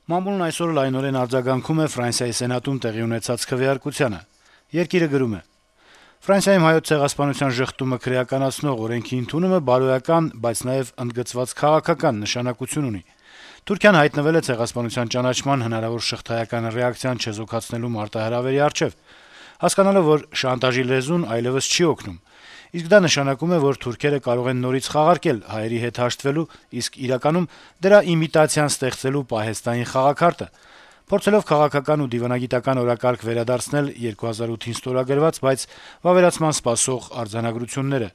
Մամուլն այսօր լայնորեն արձագանքում է Ֆրանսիայի Սենատում տեղի ունեցած քվեարկությանը։ Երկիրը գրում է. - Ֆրանսիայում Հայոց ցեղասպանության ժխտումը քրեականացնող օրենքի ընդունումը բարոյական, բայց նաեւ ընդգծված քաղաքական նշանակություն ունի։ Թուրքիան հայտնվել է ցեղասպանության ճանաչման հնարավոր շղթայական ռեակցիան չեզոքացնելու մարտահրավերի առջեւ, հասկանալով, որ շանտաժի լեզուն այլեւս չի օգնում։ Իսկ դա նշանակում է, որ թուրքերը կարող են նորից խաղարկել հայերի հետ հաշտվելու, իսկ իրականում դրա իմիտացիան ստեղծելու պահեստային խաղաքարտը, փորձելով քաղաքական ու դիվանագիտական օրակարգ վերադարձնել 2008-ին ստորագրված, բայց վավերացման սպասող արձանագրությունները։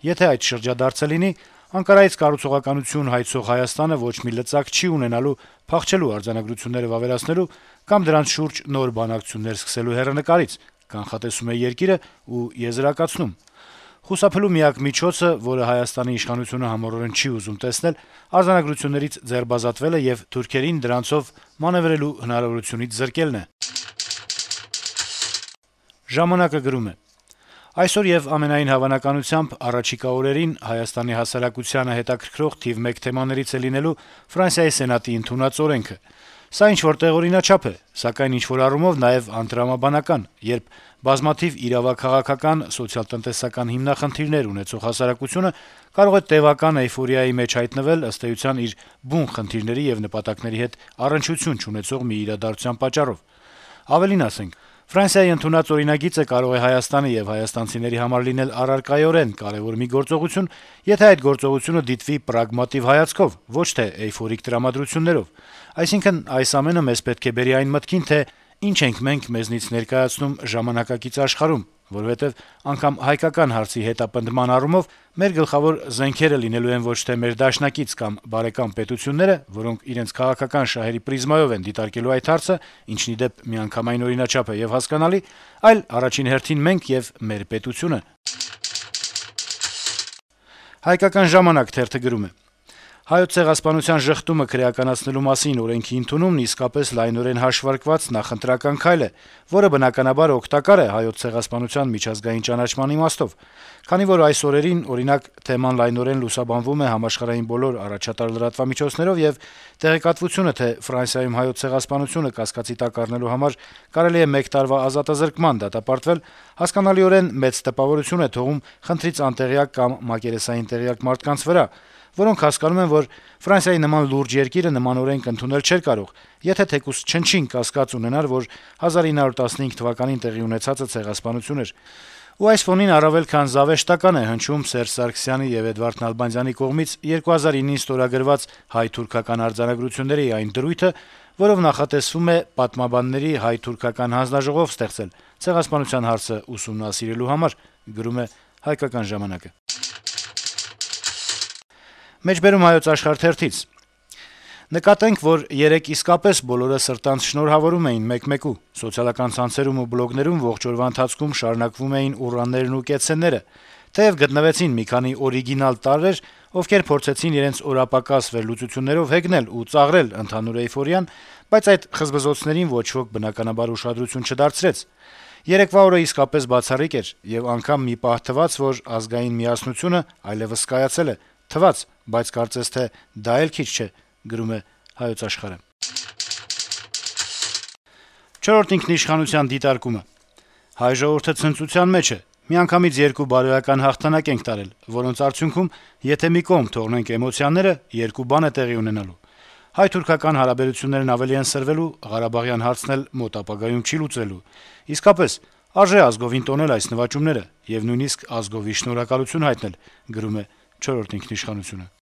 Եթե այդ շրջադարձը լինի, Անկարայից կառուցողականություն հայցող Հայաստանը ոչ մի լծակ չի ունենալու փախչելու արձանագրությունները վավերացնելու կամ դրանց շուրջ նոր բանակցություններ սկսելու հեռանկարից, կանխատեսում է երկիրը ու եզրակացնում. Խուսափելու միակ միջոցը, որը Հայաստանի իշխանությունը համառորեն չի ուզում տեսնել, արձանագրություններից ձերբազատվելը եւ թուրքերին դրանցով մանեւրելու հնարավորությունից զրկելն է։ Ժամանակը գրում է. - Այսօր եւ ամենայն հավանականությամբ առաջիկա օրերին Հայաստանի հասարակությանը հետաքրքրող թիվ 1 թեմաներից է լինելու Ֆրանսիայի Սենատի ընդունած օրենքը։ Սա ինչ-որ տեղօրինաչափ է, սակայն ինչ-որ առումով նաեւ անտրամաբանական, երբ բազմաթիվ իրավաքաղաքական, սոցիալ-տնտեսական հիմնախնդիրներ ունեցող հասարակությունը կարող է տեւական էյֆորիայի մեջ հայտնվել ըստ էության իր բուն խնդիրների եւ նպատակների հետ առնչություն չունեցող մի իրադարձության պատճառով։ Ավելին ասենք, Ֆրանսիայի ընդունած օրինագիծը կարող է Հայաստանի եւ հայաստանցիների համար լինել առարկայորեն կարեւոր մի գործողություն, եթե այդ գործողությունը դիտվի պրագմատիվ հայացքով, ոչ թե էյֆորիկ տրամադրություններով։ Այսինքն, այս ամենը մեզ պետք է բերի այն մտքին, թե ինչ ենք մենք մեզնից ներկայացնում ժամանակակից աշխարհում, որովհետեւ անգամ հայկական հարցի հետապնդման առումով մեր գլխավոր զենքերը լինելու են ոչ թե մեր դաշնակից կամ բարեկամ պետությունները, որոնք իրենց քաղաքական շահերի պրիզմայով են դիտարկելու այդ հարցը, ինչն ի դեպ միանգամայն օրինաչափ է եւ հասկանալի, այլ առաջին հերթին մենք եւ մեր պետությունը։ Հայկական ժամանակ թերթը գրում է. - Հայոց ցեղասպանության ժխտումը քրեականացնելու մասին օրենքի ընդունումն իսկապես լայնորեն հաշվարկված նախընտրական քայլ է, որը բնականաբար օգտակար է հայոց ցեղասպանության միջազգային ճանաչման իմաստով, քանի որ այս օրերին, օրինակ, թեման լայնորեն լուսաբանվում է համաշխարհային բոլոր առաջատար լրատվամիջոցներով եւ տեղեկատվությունը, թե Ֆրանսիայում հայոց ցեղասպանությունը կասկածի տակ առնելու համար կարելի է 1 տարվա ազատազրկման դատապարտվել, հասկանալիորեն մեծ տպավորություն է թողում խնդրից անտեղյակ կամ մակերեսային տեղյակ մարդկանց վրա, որոնք հասկանում են, որ Ֆրանսիայի նման լուրջ երկիրը նման օրենք ընդունել չէր կարող, եթե թեկուզ չնչին կասկած ունենար, որ 1915 թվականին տեղի ունեցածը ցեղասպանություն էր։ Ու այս ֆոնին առավել քան զավեշտական է հնչում Սերժ Սարգսյանի եւ Էդվարդ Նալբանդյանի կողմից 2009-ին ստորագրված հայ-թուրքական արձանագրությունների այն դրույթը, որով նախատեսվում է պատմաբանների հայ-թուրքական հանձնաժողով ստեղծել ցեղասպանության հարցը ուսումնասիրելու համար, գրում է Հայկական ժամանակը։ Մեջբերում Հայոց աշխարհ թերթից. Նկատենք, որ երեկ իսկապես բոլորը սրտանց շնորհավորում էին մեկ-մեկու։ Սոցիալական ցանցերում ու բլոգներում ողջ օրվա ընթացքում շարունակվում էին ուռաններն ու կեցցենները։ Թեև գտնվեցին մի քանի օրիգինալ տարրեր, ովքեր փորձեցին իրենց օրապակաս վերլուծություններով հեգնել ու ծաղրել ընդհանուր էյֆորիան, բայց այդ խզբզոցներին ոչ ոք բնականաբար ուշադրություն չդարձրեց։ Երեկվա օրը իսկապես բացառիկ էր, եւ անգամ մի պահ թվաց, որ ազգային միասնությունը այլեւս կայացել է։ Թվաց, բայց կարծես թե դա էլ քիչ չէ, գրում է Հայոց աշխարհը։ Չորրորդ ինքնիշխանության դիտարկումը. Հայ ժողովուրդը ցնծության մեջ է։ Միանգամից 2 բարոյական հաղթանակ ենք տարել, որոնց արդյունքում, եթե մի կողմ թողնենք էմոցիաները, 2 բան է տեղի ունենալու։ Հայ-թուրքական հարաբերություններն ավելի են սրվելու, Ղարաբաղյան հարցն էլ մոտ ապագայում չի լուծվելու։ Իսկապես, արժե ազգովին տոնել այս նվաճումները եւ նույնիսկ ազգովի շնորհակալություն հայտնել, գրում է Չորրորդ ինքնիշխանությունը։